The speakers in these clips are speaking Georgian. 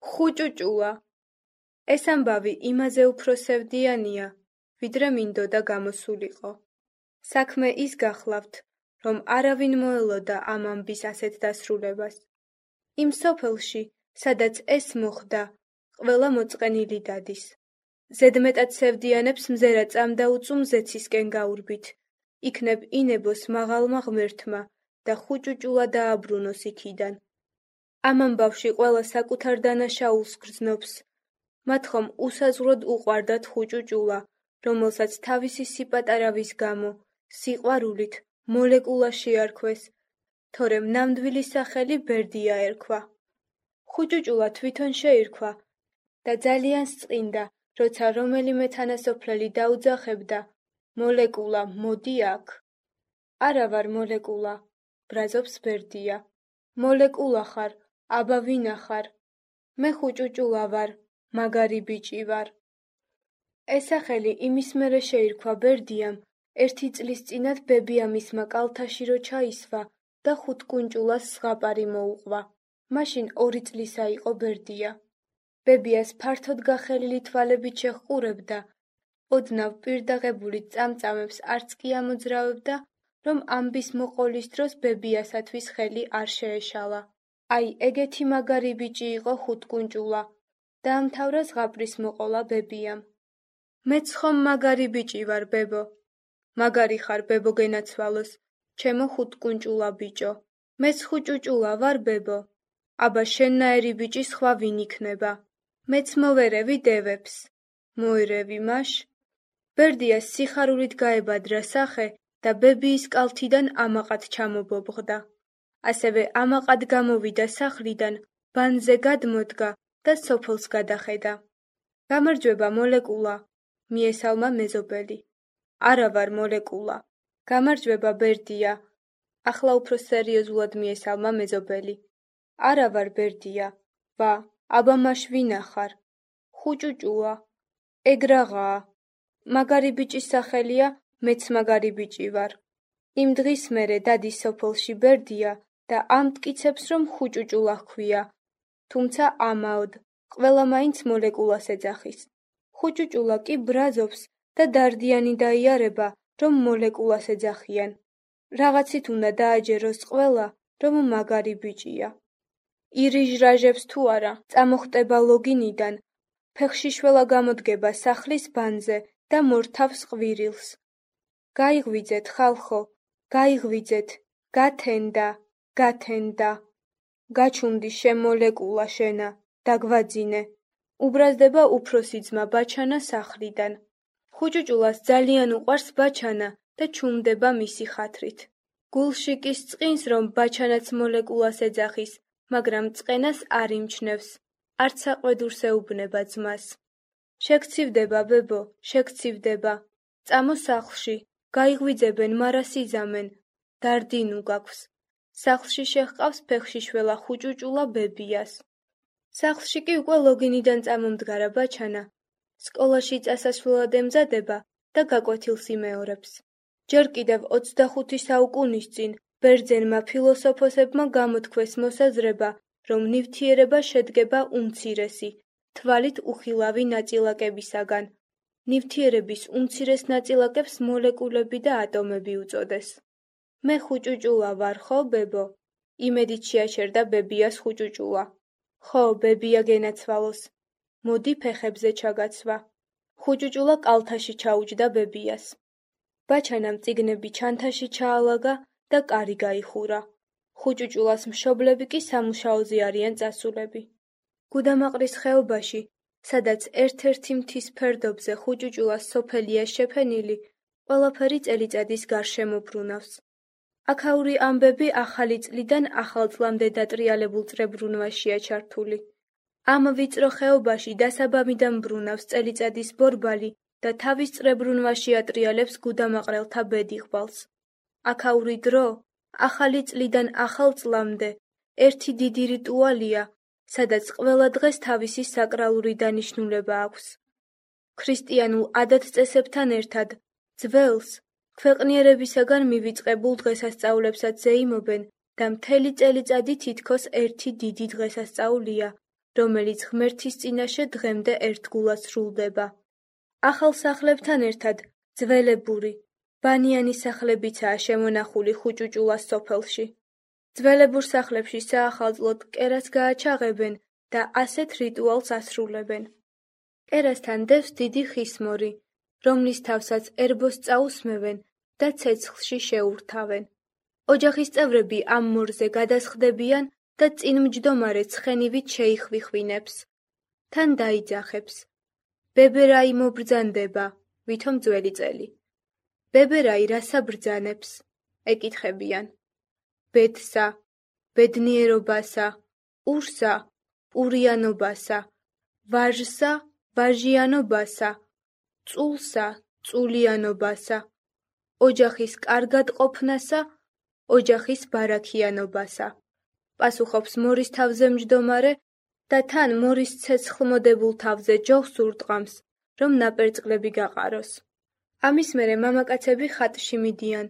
ხუჭუჭულა. ეს ამბავი იმაზე უფრო სევდიანია, ვიდრე მინდოდა გამოსულიყო. საქმე ის გახლავთ, რომ არავინ მოელოდა ამ ამბის ასეთ დასრულებას. იმ სოფელში, სადაც ეს მოხდა, ყველა მოწყენილი დადის. ზედმეტად სევდიანებს მზერა წამდაუწუ მზეცისკენ გაურბით, იქნებ ინებოს მაღალმა ღმერთმა და ხუჭუჭულა დააბრუნოს იქიდან. ამ ამბავში ყველა საკუთარ დანაშაულს გრძნობს. მათ ხომ უსაზღვროდ უყვარდათ ხუჭუჭულა, რომელსაც თავისი სიპატარავის გამო, სიყვარულით მოლეკულა შეარქვეს, თორემ ნამდვილი სახელი ბერდია ერქვა. ხუჭუჭულა თვითონ შეირქვა და ძალიან სწყინდა, როცა რომელიმე თანასოფლელი დაუძახებდა, მოლეკულა, მოდი აქ. არა ვარ მოლეკულა, ბრაზობს ბერდია. მოლეკულა ხარ, აბა ვინა ხარ? მე ხუჭუჭულა ვარ, მაგარი ბიჭი ვარ. ეს სახელი იმის მერე შეირქვა ბერდიამ, 1 წლის წინათ ბებია მისმა კალთაში რო ჩაისვა და ხუთკუნჭულას ზღაპარი მოუყვა. მაშინ 2 წლისა იყო ბერდია. ბებიას ფართოდ გახელილი თვალებით შეჰყურებდა, ოდნავ პირდაღებული წამწამებს არც კი ამოძრავებდა, რომ ამბის მოყოლის დროს ბებიასათვის ხელი არ შეეშალა. აი, ეგეთი მაგარი ბიჭი იყო ხუთკუნჭულა. დაამთავრა ზღაპრის მოყოლა ბებიამ. მეც ხომ მაგარი ბიჭი ვარ, ბებო. მაგარი ხარ, ბებო, გენაცვალოს, ჩემო ხუთკუნჭულა ბიჭო. მეც ხუჭუჭულა ვარ, ბებო. აბა შენნაირი ბიჭი სხვა ვინ იქნება? მეც მოვერევი დევებს. მოერევი მაშ. ბერდიას სიხარულით გაებადრა სახე და ბებიის კალთიდან ამაყად ჩამობობღდა. ასევე ამაყად გამოვიდა სახლიდან, ბანზე გადმოდგა და სოფელს გადახედა. გამარჯვება მოლეკულა, მიესალმა მეზობელი. არა ვარ მოლეკულა. გამარჯვება ბერდია. ახლა უფრო სერიოზულად მიესალმა მეზობელი. არა ვარ ბერდია. ვა, აბა მაშ ვინა ხარ? ხუჭუჭულა. ეგ რაღაცა. მაგარი ბიჭის სახელია, მეც მაგარი ბიჭი ვარ. იმ დღის მერე დადის სოფელში ბერდია და ამტკიცებს, რომ ხუჭუჭულა ჰქვია, თუმცა ამაოდ, ყველა მაინც მოლეკულას ეძახის. ხუჭუჭულა კი ბრაზობს და დარდიანი დაიარება, რომ მოლეკულას ეძახიან. რაღაცით უნდა დააჯეროს ყველა, რომ მაგარი ბიჭია. ირიჟრაჟებს თუ არა, წამოხტება ლოგინიდან, ფეხში შველა გამოდგება სახლის ბანზე და მორთავს ყვირილს. გაიღვიძეთ, ხალხო, გაიღვიძეთ, გათენდა, გათენდა. გაჩუმდი შემოლეკულა შენა, დაგვაძინე. უბრაზდება უფროსი ძმა ბაჩანა სახლიდან. ხუჭუჭულას ძალიან უყვარს ბაჩანა და ჩუმდება მისი ხათრით. გულში კი სწყინს, რომ ბაჩანაც მოლეკულას ეძახის, მაგრამ წყენას არ იმჩნევს, არც საყვედურს ეუბნება ძმას. შეგცივდება, ბებო, შეგცივდება. წამო სახლში, გაიღვიძებენ, მარას იზამენ. დარდინუ გაქვს. სახლში შეჰყავს ფეხში შველა ხუჭუჭულა ბებიას. სახლში კი უკვე ლოგინიდან წამომდგარა ბაჩანა. სკოლაში წასასვლელად ემზადება და გაკვეთილს იმეორებს. ჯერ კიდევ 25 საუკუნის წინ ბერძენმა ფილოსოფოსებმა გამოთქვეს მოსაზრება, რომ ნივთიერება შედგება უმცირესი, თვალით უხილავი ნაწილაკებისაგან. ნივთიერების უმცირეს ნაწილაკებს მოლეკულები და ატომები უწოდეს. მე ხუჭუჭულა ვარ, ხო, ბებო? იმედით შეაჩერდა ბებიას ხუჭუჭულა. ხო, ბებია გენაცვალოს. მოდი ფეხებზე ჩაგაცვა. ხუჭუჭულა კალთაში ჩაუჯდა ბებიას. ბაჩანამ წიგნები ჩანთაში ჩაალაგა და კარი გაიხურა. ხუჭუჭულას მშობლები კი სამუშაოზე არიან წასულები. გუდამაყრის ხეობაში, სადაც ერთ-ერთი მთის ფერდობზე ხუჭუჭულას სოფელია შეფენილი, ყველაფერი წელიწადის გარშემო ბრუნავს. აქაური ამბები ახალი წლიდან ახალ წლამდე დატრიალებულ წრებრუნვაშია ჩართული. ამ ვიწრო ხეობაში დასაბამიდან ბრუნავს წელიწადის ბორბალი და თავის წრებრუნვაში ატრიალებს გუდამაყრელთა ბედიღბალს. აქაური დრო, ახალი წლიდან ახალ წლამდე, ერთი დიდი რიტუალია, სადაც ყველა დღეს თავისი საკრალური დანიშნულება აქვს. ქრისტიანულ ადათ-წესებთან ერთად, ძველს, ქვეყნიერებისაგან მივიწყებულ დღესასწაულებსაც ზეიმობენ და მთელი წელიწადი თითქოს ერთი დიდი დღესასწაულია, რომელიც ღმერთის წინაშე დღემდე ერთგულად სრულდება. ახალ სახლებთან ერთად ძველებური, ბანიანი სახლებიცაა შემონახული ხუჭუჭულას სოფელში. ძველებურ სახლებში საახალწლოდ კერას გააჩაღებენ და ასეთ რიტუალს ასრულებენ. კერასთან დევს დიდი ხისმორი, რომლის თავსაც ერბოს წაუსმევენ და ცეცხლში შეურთავენ. ოჯახის წევრები ამ მორზე გადასხდებიან და წინმჯდომარე ცხენივით შეიხვიხვინებს. თან დაიძახებს. ბებერაი მობრძანდება, ვითომ ძველი წელი. ბებერაი რასა ბრძანებს? ეკითხებიან. ბედსა, ბედნიერობასა, პურსა, პურიანობასა, ვაჟსა, ვაჟიანობასა, წულსა, წულიანობასა, ოჯახის კარგად ყოფნასა, ოჯახის ბარაქიანობასა. პასუხობს მორის თავზე მჯდომარე და თან მორის ცეცხლმოდებულ თავზე ჯოხს ურტყამს, რომ ნაპერწკლები გაყაროს. ამის მერე მამაკაცები ხატში მიდიან,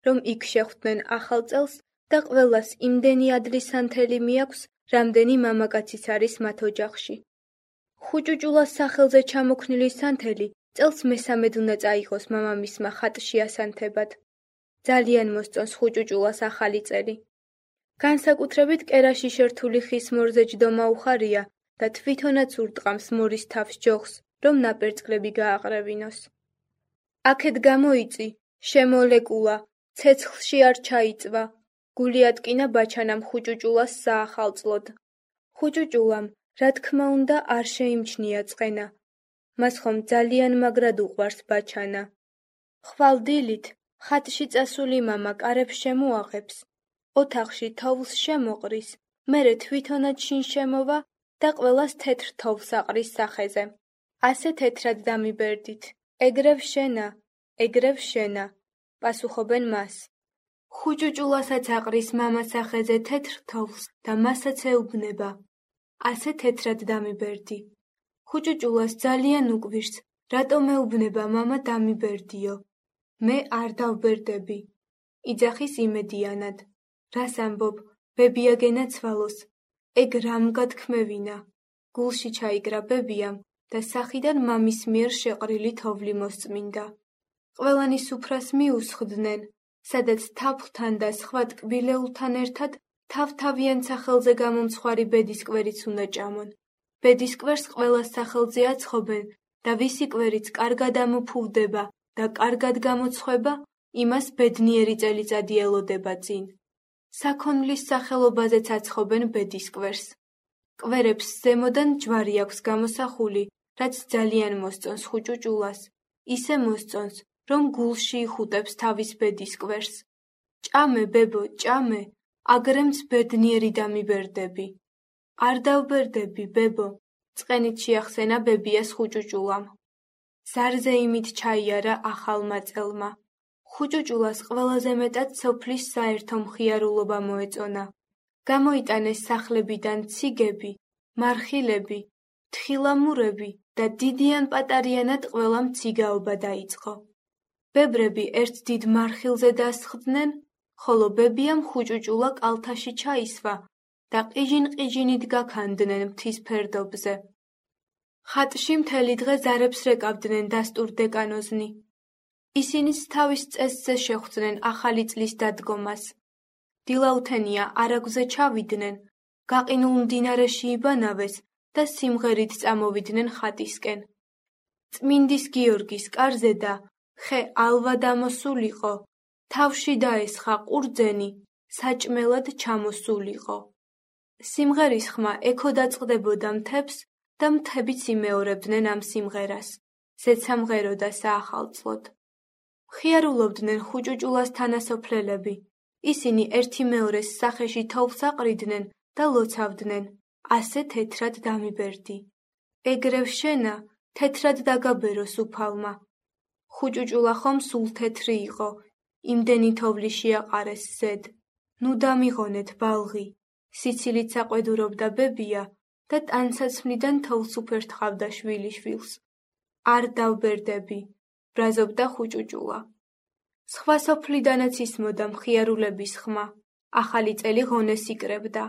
რომ იქ შეხვდნენ ახალ წელს და ყველას იმდენი ადლისანთელი მიაქვს, რამდენი მამაკაციც არის მათ ოჯახში. ხუჭუჭულას სახელზე ჩამოქნილი სანთელი წელს მესამედ უნდა წაიღოს მამამისმა ხატში ასანთებად. ძალიან მოსწონს ხუჭუჭულას ახალი წელი. განსაკუთრებით კერაში შერთული ხის მორზე ჯდომა უხარია და თვითონაც ურტყამს მორის თავს ჯოხს, რომ ნაპერწკლები გააყრევინოს. აქეთ გამოიწი, შემოლეკულა, ცეცხლში არ ჩაიწვა, გული ატკინა ბაჩანამ ხუჭუჭულას საახალწლოდ. ხუჭუჭულამ, რა თქმა უნდა, არ შეიმჩნია წყენა. მას ხომ ძალიან მაგრად უყვარს ბაჩანა. ხვალ დილით, ხატში წასული მამა კარებს შემოაღებს, ოთახში თოვლს შემოყრის, მერე თვითონაც შინ შემოვა და ყველას თეთრ თოვლს აყრის სახეზე. ასე თეთრად დამიბერდით. ეგრევ შენა, ეგრევ შენა, პასუხობენ მას. ხუჭუჭულასაც აყრის მამა სახეზე თეთრ თოვლს და მასაც ეუბნება. ასე თეთრად დამიბერდი. ხუჭუჭულას ძალიან უკვირს, რატომ ეუბნება მამა დამიბერდიო. მე არ დავბერდები. იძახის იმედიანად. რას ამბობ, ბებიაგენა ცვალოს. ეგ რამ გათქმევინა. გულში ჩაიგრა ბებიამ და სახიდან მამის მიერ შეყრილი თოვლი მოსწმინდა. ყველანი სუფრას მიუსხდნენ, სადაც თაფლთან და სხვა ტკბილეულთან ერთად თავ-თავიან სახელზე გამომცხვარი ბედისკვერიც უნდა ჭამონ. ბედისკვერს ყველას სახელზე აცხობენ და ვისი კვერიც კარგად ამოფუვდება და კარგად გამოცხვება, იმას ბედნიერი წელიწადი ელოდება წინ. საქონლის სახელობაზეც აცხობენ ბედისკვერს. კვერებს ზემოდან ჯვარი აქვს გამოსახული, რაც ძალიან მოსწონს ხუჭუჭულას. ისე მოსწონს, რომ გულში იხუტებს თავის ბედისკვერს. ჭამე, ბებო, ჭამე, აგრემც ბედნიერი დამიბერდები. არ დავბერდები, ბებო, წყენით შეახსენა ბებიას ხუჭუჭულამ. ზარზე იმით ჩაიარა ახალმა წელმა. ხუჭუჭულას ყველაზე მეტად სოფლის საერთო მხიარულობა მოეწონა. გამოიტანეს სახლებიდან ციგები, მარხილები, თხილამურები და დიდიან პატარიანად ყველამ ციგაობა დაიწყო. ბებრები ერთ დიდ მარხილზე დასხდნენ, ხოლო ბებიამ ხუჭუჭულა კალთაში ჩაისვა და ყიჟინ-ყიჟინით გაქანდნენ მთის ფერდობზე. ხატში მთელი დღე ზარებს რეკავდნენ დასტურ დეკანოზნი. ისინიც თავის წესზე შეხვდნენ ახალი წლის დადგომას. დილაუთენია არაგვზე ჩავიდნენ, გაყინულ მდინარეში იბანავეს და სიმღერით წამოვიდნენ ხატისკენ. წმინდის გიორგის კარზე და ხე ალვა დამოსულიყო, თავში დაესხა ყურძენი, საჭმელად ჩამოსულიყო. სიმღერის ხმა ექო დაწყდებოდა მთებს და მთებიც იმეორებდნენ ამ სიმღერას, ზეცამღერო და საახალწლოდ. ხიარულობდნენ ხუჭუჭულას თანასოფლელები. ისინი ერთი მეორეს სახეში თოვლს აყრიდნენ და ლოცავდნენ. ასე თეთრად დამიბერდი. ეგრევ შენა, თეთრად დაგაბერო სუფალმა. ხუჭუჭულა ხომ სულ თეთრი იყო, იმდენი თოვლი შეაყარეს ზედ. ნუ დამიღონეთ ბალღი. სიცილით საყვედურობდა ბებია და ტანსაცმლიდან თოვლს უფერთხავდა შვილიშვილს. არ დავბერდები, ბრაზობდა ხუჭუჭულა. სხვა სოფლიდანაც ისმოდა მხიარულების ხმა. ახალი წელი ღონეს იკრებდა.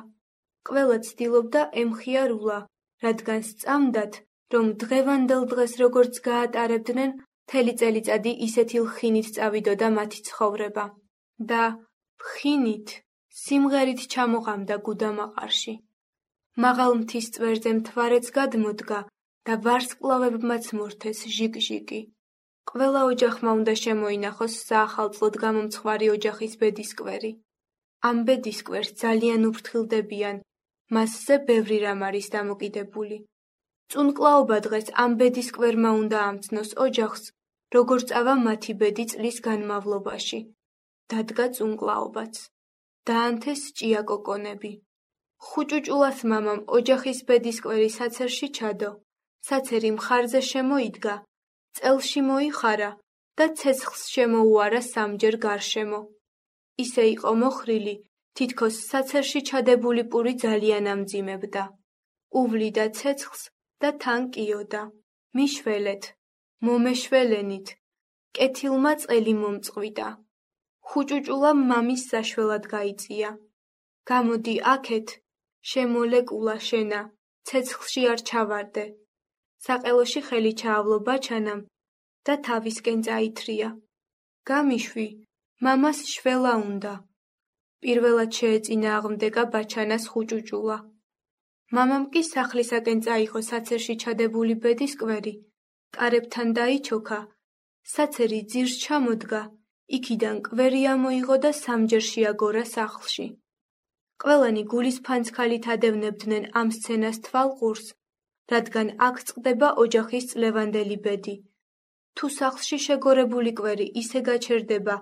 ყველა ცდილობდა ემხიარულა რადგან სწამდათ, რომ დღევანდელ დღეს როგორც გაატარებდნენ, მთელი წელიწადი ისეთი ლხინით წავიდოდა მათი ცხოვრება და ლხინით, სიმღერით ჩამოღამდა გუდამაყარში. მაღალ მთის წვერზე მთვარეც გადმოდგა და ვარსკვლავებმაც მორთეს ჟიკ-ჟიკი. ყველა ოჯახმა უნდა შემოინახოს საახალწლოდ გამომცხვარი ოჯახის ბედისკვერი. ამ ბედისკვერს ძალიან უფრთხილდებიან, მასზე ბევრი რამ არის დამოკიდებული. წუნკლაობა დღეს ამ ბედისკვერმა უნდა ამცნოს ოჯახს, როგორ წავა მათი ბედი წლის განმავლობაში. დადგა წუნკლაობაც. დაანთეს ჭიაკოკონები. ხუჭუჭულას მამამ ოჯახის ბედისკვერი საცერში ჩადო. საცერი მხარზე შემოიდგა, წელში მოიხარა და ცეცხლს შემოუარა სამჯერ გარშემო. ისე იყო მოხრილი, თითქოს საცერში ჩადებული პური ძალიან ამძიმებდა. უვლიდა ცეცხლს და თან კიოდა. მიშველეთ, მომეშველენით, კეთილმა წელი მომწყვიტა. ხუჭუჭულამ მამის საშველად გაიწია. გამოდი აქეთ, შემოლეკულა შენა, ცეცხლში არ ჩავარდე. საყელოში ხელი ჩაავლო ბაჩანამ და თავისკენ წაითრია. გამიშვი, მამას შველა უნდა. პირველად შეეწინააღმდეგა ბაჩანას ხუჭუჭულა. მამამ კი სახლისაკენ წაიღო საცერში ჩადებული ბედისკვერი, კარებთან დაიჩოქა, საცერი ძირს ჩამოდგა, იქიდან კვერი ამოიღო და სამჯერ შეაგორა სახლში. ყველანი გულის ფანცქალით ადევნებდნენ ამ სცენას თვალყურს, რადგან აქ წყდება ოჯახის წლევანდელი ბედი. თუ სახლში შეგორებული კვერი ისე გაჩერდება,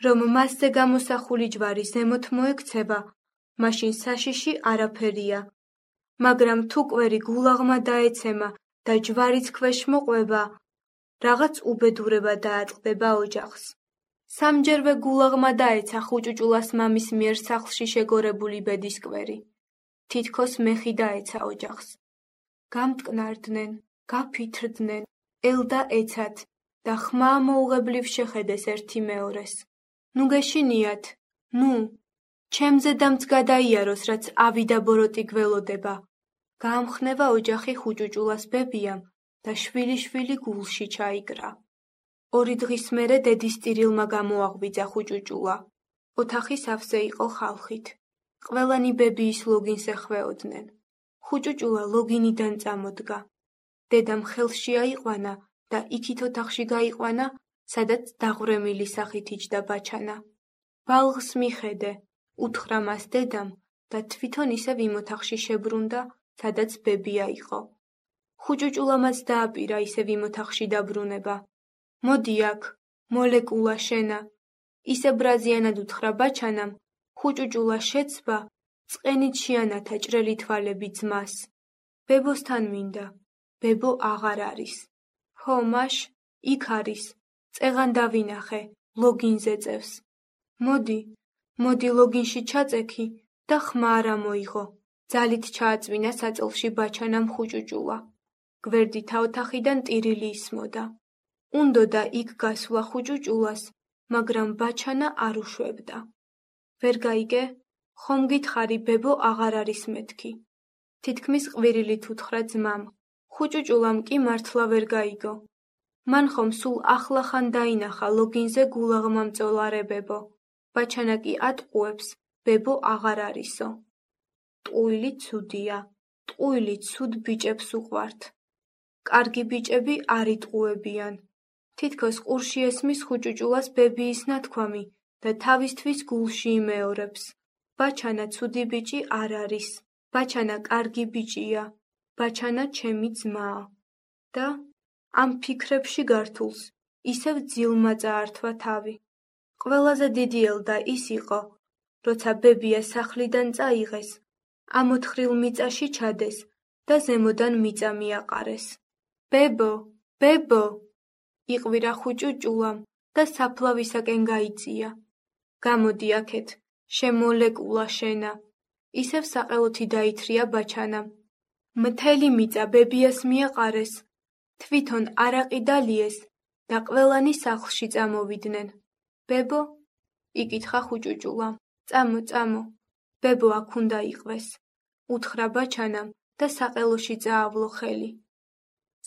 რომ მასზე გამოსახული ჯვარი ზემოთ მოექცევა, მაშინ საშიში არაფერია. მაგრამ თუ კვერი გულაღმა დაეცემა და ჯვარიც ქვეშ მოყვება, რაღაც უბედურება დაატყდება ოჯახს. სამჯერვე გულაღმა დაეცა ხუჭუჭულას მამის მიერ სახლში შეგორებული ბედისკვერი. თითქოს მეხი დაეცა ოჯახს. გამტკნარდნენ, გაფითრდნენ, ელდა ეცათ და ხმა მოუღებლივ შეხედეს ერთი მეორეს. ნუ გეშინიათ, ნუ, ჩემზე დამც გადაიაროს, რაც ავიდა ბოროტი გველოდება. გაამხნევა ოჯახი ხუჭუჭულას ბებიამ და შვილი-შვილი გულში ჩაიკრა. 2 დღის მერე დედის ტირილმა გამოაღვიძა ხუჭუჭულა. ოთახი სავსე იყო ხალხით. ყველანი ბებიის ლოგინს ეხვეოდნენ. ხუჭუჭულა ლოგინიდან წამოდგა. დედამ ხელში აიყვანა და იქით ოთახში გაიყვანა, სადაც დაღვრემილი სახით იჯდა ბაჩანა. ბალღს მიხედე, უთხრა მას დედამ და თვითონ ისევ იმ ოთახში შებრუნდა, სადაც ბებია იყო. ხუჭუჭულამაც დააპირა ისევ იმ ოთახში დაბრუნება. მოდი აქ, მოლეკულა შენა. ისე ბრაზიანად უთხრა ბაჩანამ, ხუჭუჭულა შეცვა, წყენით შეანათა ჭრელი თვალები ძმას. ბებოსთან მინდა, ბებო აღარ არის. ხო, მაშ, იქ არის, წეღან დავინახე, ლოგინზე წევს. მოდი ლოგინში ჩაწექი და ხმა არ ამოიღო. ძალით ჩააწვინა საწოლში ბაჩანამ ხუჭუჭულა. გვერდითა ოთახიდან ტირილი ისმოდა. უნდოდა იქ გასვლა ხუჭუჭულას, მაგრამ ბაჩანა არ უშვებდა. ვერ გაიგე? ხომ გითხარი, ბებო აღარ არის მეთქი. თითქმის ყვირილით უთხრა ძმამ. ხუჭუჭულამ კი მართლა ვერ გაიგო. მან ხომ სულ ახლახან დაინახა ლოგინზე გულაღმა მწოლარებებო. ბაჩანა კი ატყუებს, ბებო აღარ არისო. ტყუილი ცუდია, ტყუილი ცუდ ბიჭებს უყვართ. კარგი ბიჭები არ იტყუებიან. თითქოს ყურში ესმის ხუჭუჭულას ბებიის ნათქვამი და თავისთვის გულში იმეორებს. ბაჩანა ცუდი ბიჭი არ არის. ბაჩანა კარგი ბიჭია. ბაჩანა ჩემი ძმაა. და ამ ფიქრებში გართულს ისევ ძილმა წაართვა თავი. ყველაზე დიდი ელდა ის იყო, როცა ბებია სახლიდან წაიღეს, ამ ოთხრილ მიწაში ჩადეს და ზემოდან მიწა მიაყარეს. ბებო, ბებო! იყვირა ხუჭუჭულამ და საფლავისაკენ გაიწია. გამოდი აქეთ, შემოლეკულა შენა. ისევ საყელოთი დაითრია ბაჩანამ. მთელი მიწა ბებიას მიაყარეს, თვითონ არაყი დალიეს და ყველანი სახლში წამოვიდნენ. ბებო? იკითხა ხუჭუჭულამ. წამო, ბებო აქ უნდა იყვეს. უთხრა ბაჩანამ და საყელოში წაავლო ხელი.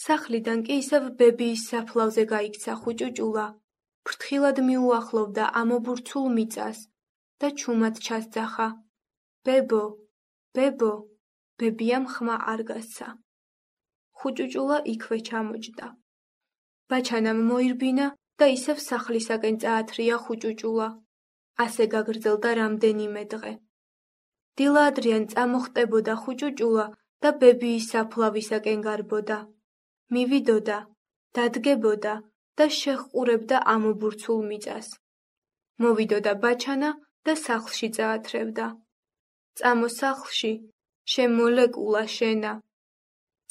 სახლიდან კი ისევ ბებიის საფლავზე გაიქცა ხუჭუჭულა, ფრთხილად მიუახლოვდა ამობურცულ მიწას და ჩუმად ჩასძახა. ბებო, ბებო, ბებიამ ხმა არ გასცა. ხუჭუჭულა იქვე ჩამოჯდა. ბაჩანამ მოირბინა და ისევ სახლისაკენ წაათრია ხუჭუჭულა. ასე გაგრძელდა რამდენიმე დღე. დილა-ადრიან წამოხტებოდა ხუჭუჭულა და ბებიის საფლავისაკენ გარბოდა. მივიდოდა, დადგებოდა და შეჰყურებდა ამობურცულ მიწას. მოვიდოდა ბაჩანა და სახლში წაათრევდა. წამო სახლში, შემოლეკულა შენა.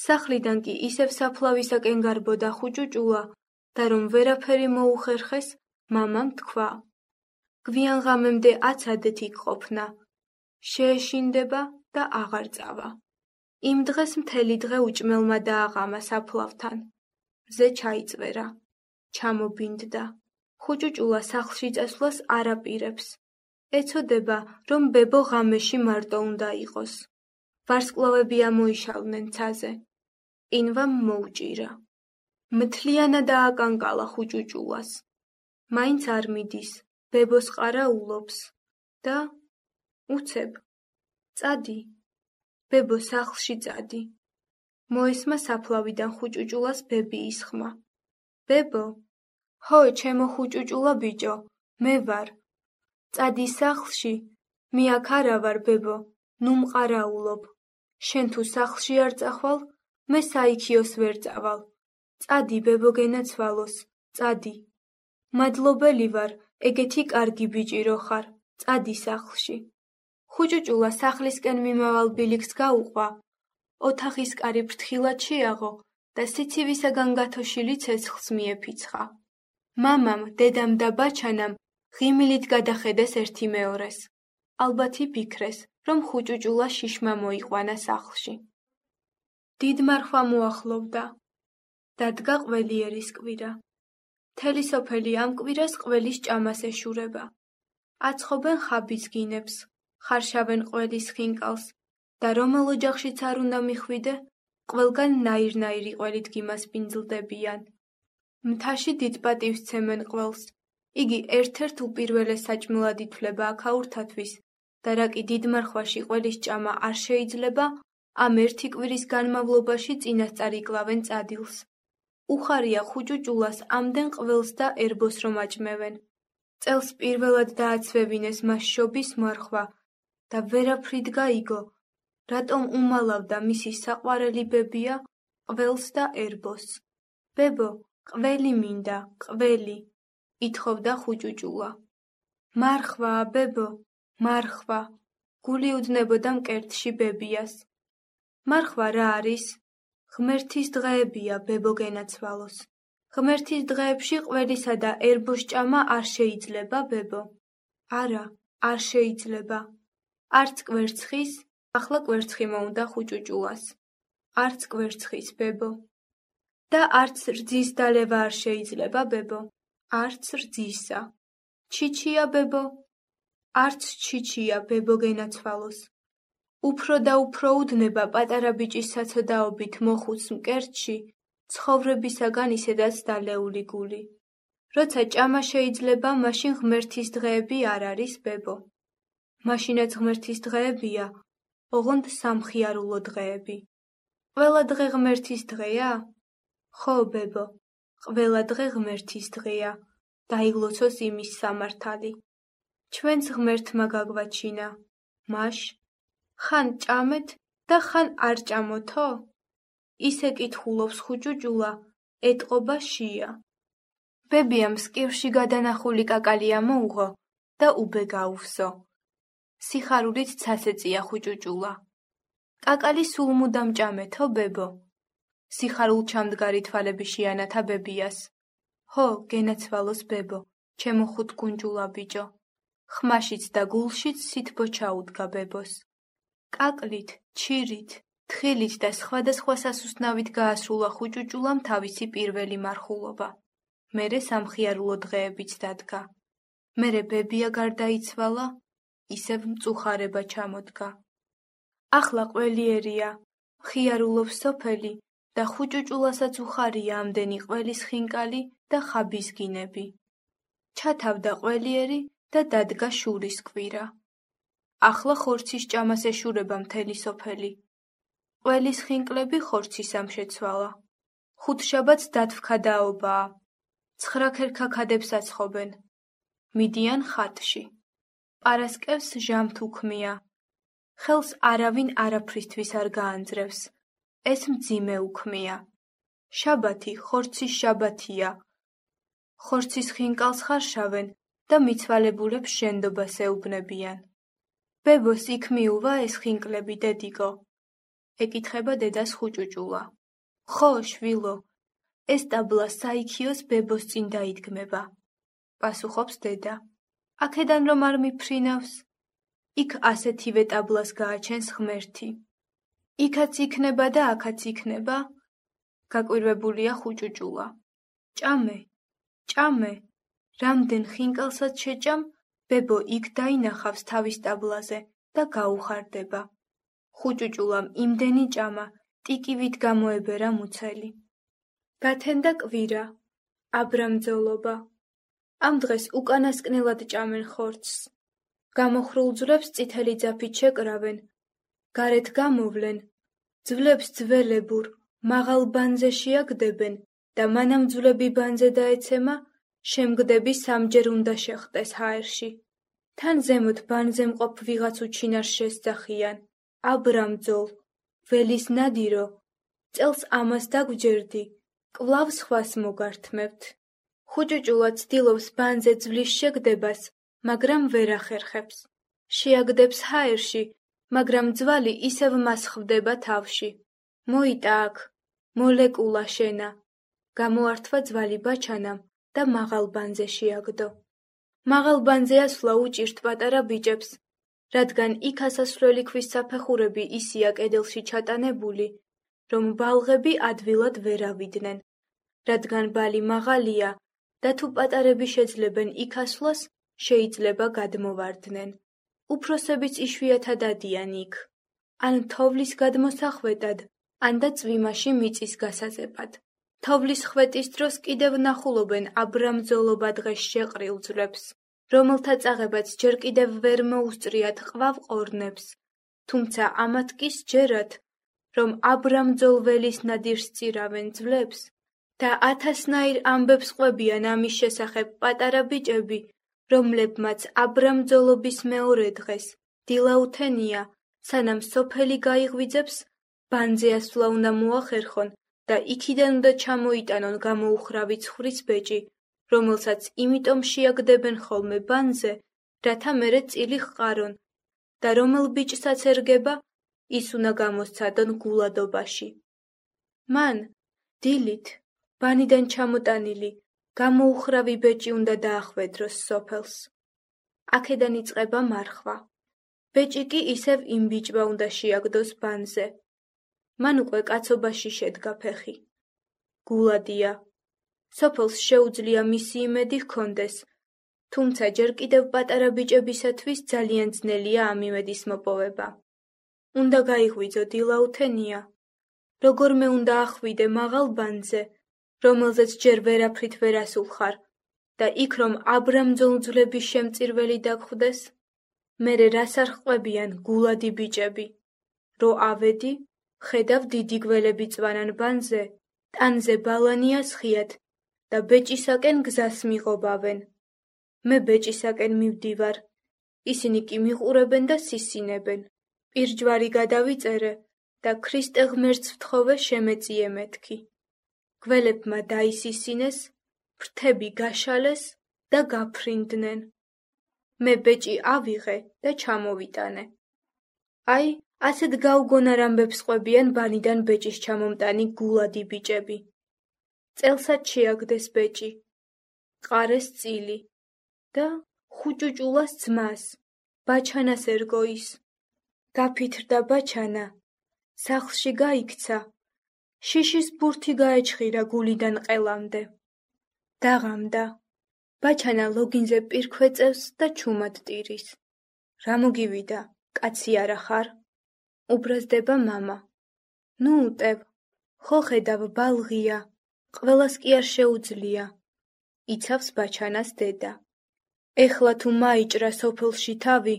სახლიდან კი ისევ საფლავისაკენ გარბოდა ხუჭუჭულა და რომ ვერაფერი მოუხერხეს, მამამ თქვა. გვიან ღამემდე აცადეთ იქ ყოფნა. შეეშინდება და აღარ წავა. იმ დღეს მთელი დღე უჭმელმა დააღამა საფლავთან. მზე ჩაიწვერა. ჩამობინდდა. ხუჭუჭულა სახლში წასვლას არ აპირებს. ეცოდება, რომ ბებო ღამეში მარტო უნდა იყოს. ვარსკვლავები ამოიშალნენ ცაზე. ყინვამ მოუჭირა. მთლიანად ააკანკალა ხუჭუჭულას. მაინც არ მიდის, ბებოს ყარაულობს და უცებ. წადი. ბებო სახლში წადი. მოესმა საფლავიდან ხუჭუჭულას ბებიის ხმა. ბებო, ჰო, ჩემო ხუჭუჭულა ბიჭო, მე ვარ. წადი სახლში, მე აქ არა ვარ ბებო, ნუ მყარაულობ. შენ თუ სახლში არ წახვალ, მე საიქიოს ვერ წავალ. წადი ბებო გენაცვალოს, წადი. მადლობელი ვარ, ეგეთი კარგი ბიჭი რო ხარ, წადი სახლში. ხუჭუჭულა სახლისკენ მიმავალ ბილიქს გაუყვა. ოთახის კარი ფრთხილად შეაღო და სიცივისაგან გათოშილი ცეცხლს მიეფიცხა. მამამ, დედამ და ბაჩანამ ღიმილით გადახედეს ერთი მეორეს. ალბათ იფიქრეს, რომ ხუჭუჭულა შიშმა მოიყვანა სახლში. დიდმარხვა მოახლოვდა. დადგა ყველიერის კვირა. მთელი სოფელი ამ კვირას ყველის ჭამას ეშურება. აცხობენ ხაბის გინებს, ხარშავენ ყველის ხინკალს და რომელ ოჯახშიც არ უნდა მიხვიდე, ყველგან ნაირ-ნაირი ყველით გიმასპინძლდებიან. მთაში დიდ პატივს ცემენ ყველს. იგი ერთ-ერთ უპირველეს საჭმელად ითვლება აქაურთათვის და რა კი დიდმარხვაში ყველის ჭამა არ შეიძლება, ამ ერთი კვირის განმავლობაში წინასწარ იკლავენ წადილს. უხარია ხუჭუჭულას ამდენ ყველს და ერბოს რომ აჭმევენ. წელს პირველად დააცვევინეს მას შობის მარხვა და ვერაფრით გაიგო, რატომ უმალავდა მისი საყვარელი ბებია ყველს და ერბოს. ბებო, ყველი მინდა, ყველი, ითხოვდა ხუჭუჭულა. მარხვა, ბებო, მარხვა, გული უდნებოდა მკერდში ბებიას. მარხვა რა არის? ღმერთის დღეებია, ბებო გენაცვალოს. ღმერთის დღეებში ყველისა და ერბოს ჭამა არ შეიძლება, ბებო. არა, არ შეიძლება. არც კვერცხის, ახლა კვერცხი მოუნდა ხუჭუჭულას. არც კვერცხის, ბებო. და არც რძის დალევა არ შეიძლება, ბებო. არც რძისა. ჩიჩია, ბებო. არც ჩიჩია, ბებო გენაცვალოს. უფრო და უფრო უდნება პატარა ბიჭის საცოდაობით მოხუც მკერდში, ცხოვრებისაგან ისედაც დალეული გული. როცა ჭამა შეიძლება, მაშინ ღმერთის დღეები არ არის, ბებო. მაშინაც ღმერთის დღეებია, ოღონდ სამხიარულო დღეები. ყველა დღე ღმერთის დღეა? ხო, ბებო, ყველა დღე ღმერთის დღეა, დაიგლოცოს იმის სამართალი. ჩვენც ღმერთმა გაგვაჩინა, მაშ, ხან ჭამეთ და ხან არ ჭამოთო? ისე კითხულობს ხუჭუჭულა, ეტყობა შია. ბებიამ სკივში გადანახული კაკალი ამოუღო და უბე გაუვსო. სიხარულით ცას ეწია ხუჭუჭულა. კაკალი სულ მუდამ ჭამეთო, ბებო? სიხარულ ჩამდგარი თვალები შეანათა ბებიას. ჰო, გენაცვალოს ბებო, ჩემო ხუთკუნჭულა ბიჭო. ხმაშიც და გულშიც სითბო ჩაუდგა ბებოს. კაკლით, ჩირით, თხილით და სხვადასხვა სასუსტნავით გაასრულა ხუჭუჭულამ თავისი პირველი მარხულობა. მერე სამხიარულო დღეებიც დადგა. მერე ბებია გარდაიცვალა, ისევ მწუხარება ჩამოდგა. ახლა ყველიერია, ხიარულობს სოფელი და ხუჭუჭულასაც უხარია ამდენი ყველის ხინკალი და ხაბისგინები. ჩათავდა ყველიერი და დადგა შურის კვირა. ახლა ხორცის ჭამას ეშურება მთელი სოფელი. ყველის ხინკლები ხორცის ამშეცვალა. ხუთშაბათს დათვქა დაობაა. 9 ქერქაქადებს აცხობენ. მიდიან ხატში. პარასკევს ჟამთ უქმია. ხელს არავინ არაფრისთვის არ გაანძრევს. ეს მძიმე უქმია. შაბათი ხორცის შაბათია. ხორცის ხინკალს ხარშავენ და მიცვალებულებს შენდობას ეუბნებიან. ბებოს იქ მიუვა ეს ხინკლები დედიგო. ეკითხება დედას ხუჭუჭულა. ხო, შვილო, ეს ტაბლა საიქიოს ბებოს წინ დაიდგმება. პასუხობს დედა. აქედან რომ არ მიფრინავს? იქ ასეთივე ტაბლას გააჩენს ღმერთი. იქაც იქნება და აქაც იქნება? გაკვირვებულია ხუჭუჭულა. ჭამე, ჭამე, რამდენ ხინკალსაც შეჭამ, ბებო იქ დაინახავს თავის ტაბლაზე და გაუხარდება. ხუჭუჭულამ იმდენი ჭამა, ტიკივით გამოებერა მუცელი. გათენდა კვირა, აბრამძოლობა. ამ დღეს უკანასკნელად ჭამენ ხორცს. გამოხრულ ძვლებს წითელი ძაფით შეკრავენ. გარეთ გამოვლენ. ძვლებს ძველებურ, მაღალ ბანზე შეაგდებენ და მანამ ძვლები ბანზე დაეცემა, შემგდები სამჯერ უნდა შეხტეს ჰაერში. თან ზემოთ ბანზე მყოფ ვიღაც უჩინარს შესძახიან. აბრამძოლ, ველის ნადირო, წელს ამას დაგვჯერდი, კვლავ სხვას მოგართმევთ. ხუჭუჭულა ცდილობს ბანზე ძვლის შეგდებას, მაგრამ ვერ ახერხებს. შეაგდებს ჰაერში, მაგრამ ძვალი ისევ მას ხვდება თავში. მოიტა აქ, მოლეკულა შენა. გამოართვა ძვალი ბაჩანამ და მაღალ ბანზე შეაგდო. მაღალ ბანზე ასვლა უჭირთ პატარა ბიჭებს, რადგან იქ ასასვლელი ქვის საფეხურები ისია კედელში ჩატანებული, რომ ბალღები ადვილად ვერ ავიდნენ. რადგან ბალი მაღალია და თუ პატარები შეძლებენ იქ ასვლას, შეიძლება გადმოვარდნენ. უფროსებიც იშვიათად ადიან იქ. ან თოვლის გადმოსახვეტად, ან და წვიმაში მიწის გასაზეპად. თოვლის ხვეტის დროს კიდევ ნახულობენ აბრამძოლობა დღეს შეყრილ ძვლებს, რომელთა წაღებაც ჯერ კიდევ ვერ მოუსწრიათ ყვავ ყორნებს, თუმცა ამათ კი სჯერათ, რომ აბრამძოლ ველის ნადირს წირავენ ძვლებს და 1000-ნაირ ამბებს ყვებიან ამის შესახებ პატარა ბიჭები, რომლებმაც აბრამძოლობის მეორე დღეს, დილაუთენია, სანამ სოფელი გაიღვიძებს, ბანზე ასვლა უნდა მოახერხონ და იქიდან უნდა ჩამოიტანონ გამოუხრავი ცხვრის ბეჭი, რომელსაც იმიტომ შეაგდებენ ხოლმე ბანზე, რათა მერე წილი ჰყარონ და რომელ ბიჭსაც ერგება, ის უნდა გამოსცადონ გულადობაში. მან, დილით, ბანიდან ჩამოტანილი, გამოუხრავი ბეჭი უნდა დაახვედროს სოფელს. აქედან იწყება მარხვა. ბეჭი კი ისევ იმ ბიჭმა უნდა შეაგდოს ბანზე. მან უკვე კაცობაში შედგა ფეხი. გულადია. სოფელს შეუძლია მისი იმედი ჰქონდეს, თუმცა ჯერ კიდევ პატარა ბიჭებისათვის ძალიან ძნელია ამ იმედის მოპოვება. უნდა გაიღვიძო დილაუთენია. როგორმე უნდა ახვიდე მაღალ ბანზე, რომელზეც ჯერ ვერაფრით ვერ ასულხარ და იქ რომ აბრამძოლ ძვლების შემწირველი დაგხვდეს, მერე რას არ ჰყვებიან გულადი ბიჭები. რო ავედი, ხედავ დიდი გველები წვანან ბანზე, ტანზე ბალანია სხიათ და ბეჭისაკენ გზას მიღობავენ. მე ბეჭისაკენ მივდივარ, ისინი კი მიყურებენ და სისინებენ. პირჯვარი გადავიწერე და ქრისტე ღმერთს ვთხოვე შემეწიე მეთქი. გველებმა დაისისინეს, ფრთები გაშალეს და გაფრინდნენ. მე ბეჭი ავიღე და ჩამოვიტანე. აი, ასეთ გაუგონარ ამბებს ყვებიან ბანიდან ბეჭის ჩამომტანი გულადი ბიჭები. წელსაც შეაგდეს ბეჭი, ყარეს წილი და ხუჭუჭულას ძმას, ბაჩანას ერგო ის. გაფითრდა ბაჩანა, სახლში გაიქცა, შიშის ბურთი გაეჩხირა გულიდან ყელამდე. დაღამდა, ბაჩანა ლოგინზე პირქვეწევს და ჩუმად ტირის. რა მოგივიდა, კაცი არა ხარ? უბრაზდება მამა. ნუ უტევ, ხო ხედავ ბალღია, ყველას კი არ შეუძლია. იცავს ბაჩანას დედა. ეხლა თუ მაიჭრა სოფელში თავი,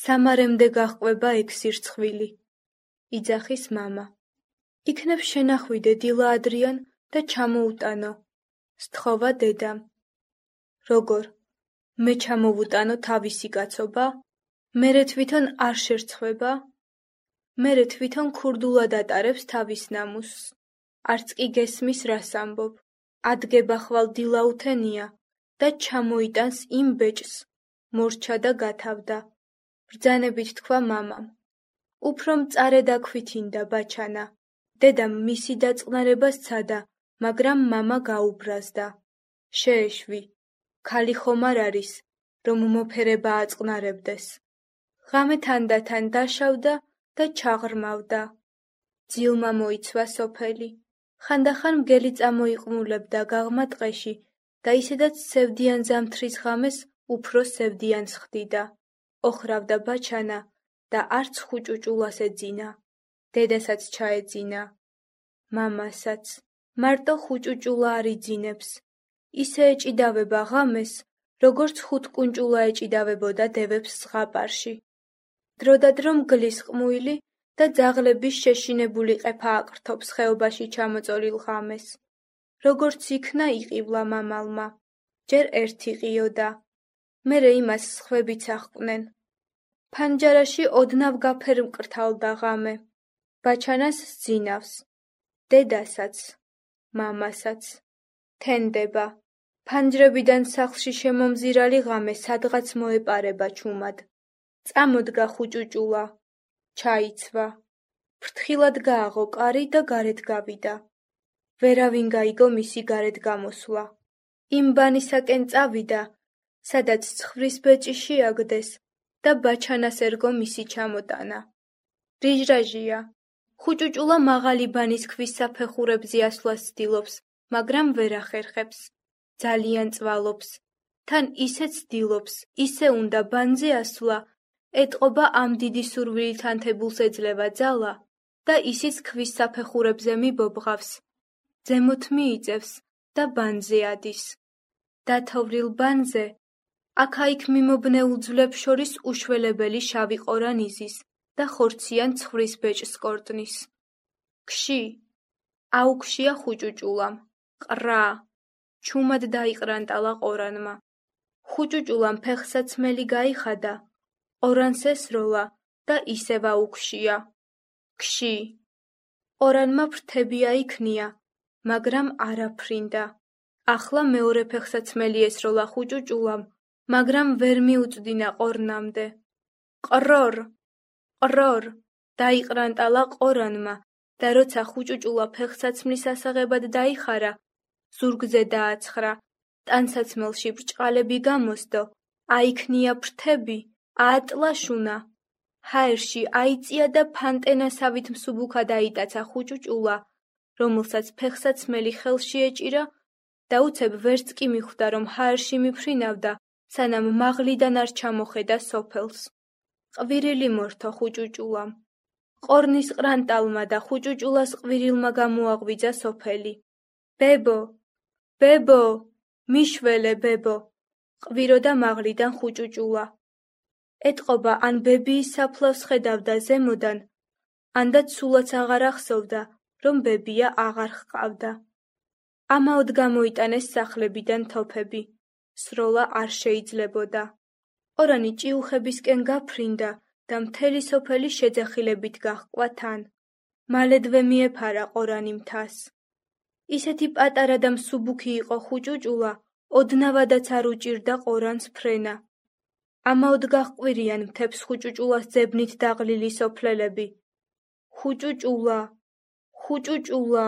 სამარემდე გაჰყვება ეგ სირცხვილი. იძახის მამა. იქნებ შენახვიდე დილა ადრიან და ჩამოუტანო. სთხოვა დედამ. როგორ? მე ჩამოვუტანო თავისი კაცობა? მერე თვითონ არ შერცხვება? მერე თვითონ ქურდულად ატარებს თავის ნამუსს. არც კი გესმის რას ამბობ. ადგება ხვალ დილა უთენია და ჩამოიტანს იმ ბეჭს. მორჩა და გათავდა. ბრძანებით თქვა მამამ. უფრო მწარე დაქვითინდა ბაჩანა. დედამ მისი დაწყნარება სცადა, მაგრამ მამა გაუბრაზდა. შეეშვი. ქალი ხომ არ არის, რომ მოფერება აწყნარებდეს. ღამე თანდათან დაშავდა და ჩაღრმავდა. ძილმა მოიცვა სოფელი. ხანდახან მგელი წამოიყმულებდა გაღმა ტყეში და ისედაც სევდიან ზამთრის ღამეს უფრო სევდიანს ხდიდა. ოხრავდა ბაჩანა და არც ხუჭუჭულას ეძინა. დედასაც ჩაეძინა. მამასაც. მარტო ხუჭუჭულა არ იძინებს. ისე ეჭიდავება ღამეს, როგორც ხუთკუნჭულა ეჭიდავებოდა დევებს ზღაპარში. დროდადრო მგლის ყმუილი და ძაღლების შეშინებული ყეფა აკრთობს ხეობაში ჩამოწოლილ ღამეს. როგორც იქნა იყივლა მამალმა. ჯერ ერთი ყიოდა. მერე იმას სხვებიც აღკვნენ. ფანჯარაში ოდნავ გაფერმკრთალდა ღამე. ბაჩანას სძინავს. დედასაც. მამასაც. თენდება. ფანჯრებიდან სახლში შემომზირალი ღამე სადღაც მოეპარება ჩუმად. წამოდგა ხუჭუჭულა. ჩაიცვა. ფრთხილად გააღო კარი და გარეთ გავიდა. ვერავინ გაიგო მისი გარეთ გამოსვლა. იმ ბანისაკენ წავიდა, სადაც ცხვრის ბეჭი შეაგდეს და ბაჩანას ერგო მისი ჩამოტანა. რიჟრაჟია. ხუჭუჭულა მაღალი ბანის ქვის საფეხურებზე ასვლას ცდილობს, მაგრამ ვერ ახერხებს. ძალიან წვალობს. თან ისე ცდილობს, ისე უნდა ბანზე ასვლა, ეტყობა ამ დიდი სურვილით ანთებულს ეძლევა ძალა და ისიც ქვის საფეხურებზე მიბობღავს. ზემოთ მიიწევს და ბანზე ადის. დათოვრილ ბანზე, აქა-იქ მიმობნეულ ძვლებს შორის უშველებელი შავი ყორან იზის და ხორციან ცხვრის ბეჭს კორტნის. ქში. აუქშია ხუჭუჭულამ. ყრა. ჩუმად დაიყრანტალა ყორანმა. ხუჭუჭულამ ფეხსაცმელი გაიხადა, ყორანს ესროლა და ისევ აუქშია. ქში. ყორანმა ფრთები აიქნია, მაგრამ არ აფრინდა. ახლა მეორე ფეხსაცმელი ესროლა ხუჭუჭულამ, მაგრამ ვერ მიუწვდინა ყორნამდე. ყრორ, ყრორ, დაიყრანტალა ყორანმა და როცა ხუჭუჭულა ფეხსაცმლის ასაღებად დაიხარა, ზურგზე დააცხრა, ტანსაცმელში ბრჭყალები გამოსდო, აიქნია ფრთები, აატლაშუნა. ჰაერში აიწია და ფანტენასავით მსუბუქად აიტაცა ხუჭუჭულა, რომელსაც ფეხსაცმელი ხელში ეჭირა და უცებ ვერც კი მიხვდა, რომ ჰაერში მიფრინავდა, სანამ მაღლიდან არ ჩამოხედა სოფელს. ყვირილი მორთო ხუჭუჭულამ. ყორნის ყრანტალმა და ხუჭუჭულას ყვირილმა გამოაღვიძა სოფელი. ბებო, ბებო, მიშველე ბებო, ყვიროდა მაღლიდან ხუჭუჭულა. ეტყობა ან ბებიის საფლავს ხედავდა ზემოდან, ანდაც სულაც აღარ ახსოვდა, რომ ბებია აღარ ჰყავდა. ამაოდ გამოიტანეს სახლებიდან თოფები. სროლა არ შეიძლებოდა. ყორანი ჭიუხებისკენ გაფრინდა და მთელი სოფელი შეძახილებით გაჰყვა თან. მალედვე მიეფარა ყორანი მთას. ისეთი პატარა და მსუბუქი იყო ხუჭუჭულა, ოდნავადაც არ უჭირდა ყორანს ფრენა. ამაოდ გაჰყვირიან მთებს ხუჭუჭულას ძებნით დაღლილი სოფლელები. ხუჭუჭულა, ხუჭუჭულა,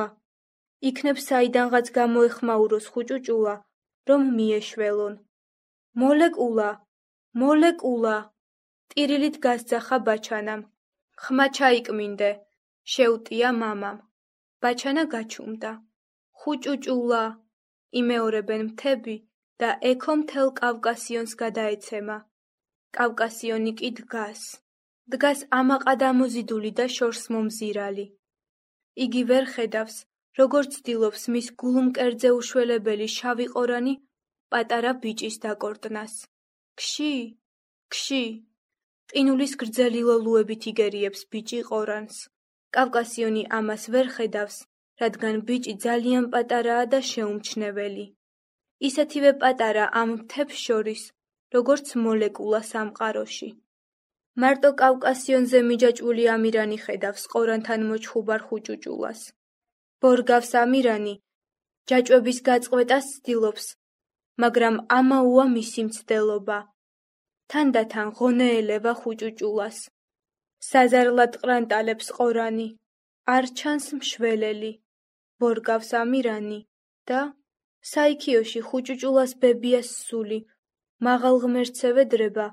იქნებ საიდანღაც გამოეხმაუროს ხუჭუჭულა, რომ მიეშველონ. მოლეკულა, მოლეკულა, ტირილით გასძახა ბაჩანამ. ხმა ჩაიკმინდე, შეუტია მამამ. ბაჩანა გაჩუმდა. ხუჭუჭულა, იმეორებენ მთები და ექო მთელ კავკასიონს გადაეცემა. კავკასიონი კი დგას. დგას ამაყად ამოზიდული და შორს მომზირალი. იგი ვერ ხედავს, როგორ ცდილობს მის გულმკერდზე უშველებელი შავი ყორანი პატარა ბიჭის დაკორტნას. ქში, ქში! ყინულის გრძელი ლოლუებით იგერიებს ბიჭი ყორანს. კავკასიონი ამას ვერ ხედავს, რადგან ბიჭი ძალიან პატარაა და შეუმჩნეველი. ისეთივე პატარა ამ მთებს შორის, როგორც მოლეკულა სამყაროში. მარტო კავკასიონზე მიჯაჭვული ამირანი ხედავს ყორანთან მოჩხუბარ ხუჭუჭულას. ბორგავს ამირანი, ჯაჭვების გაწყვეტას ცდილობს, მაგრამ ამაოა მისი მცდელობა. თანდათან ღონეელება ხუჭუჭულას. საზარლად ყრანტალებს ყორანი, არ ჩანს მშველელი. ბორგავს ამირანი და საიქიოში ხუჭუჭულას ბებიას სული, მაღალ ღმერთს ევედრება,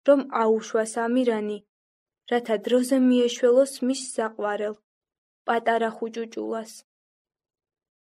რომ აუშვას ამირანი, რათა დროზე მიეშველოს მის საყვარელ, პატარა ხუჭუჭულას.